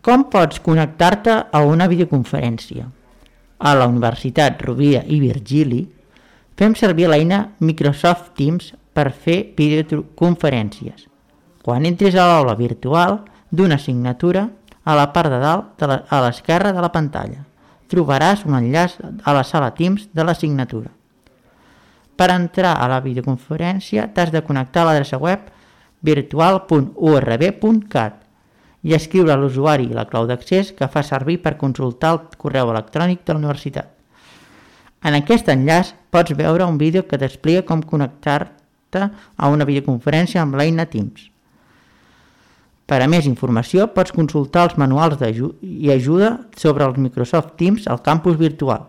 Com pots connectar-te a una videoconferència? A la Universitat Rovira i Virgili fem servir l'eina Microsoft Teams per fer videoconferències. Quan entris a l'aula virtual d'una assignatura, a la part de dalt, a l'esquerra de la pantalla, trobaràs un enllaç a la sala Teams de l'assignatura. Per entrar a la videoconferència t'has de connectar a l'adreça web virtual.urb.cat i escriure l'usuari i la clau d'accés que fa servir per consultar el correu electrònic de la universitat. En aquest enllaç pots veure un vídeo que t'explica com connectar-te a una videoconferència amb l'eina Teams. Per a més informació pots consultar els manuals i ajuda sobre els Microsoft Teams al campus virtual.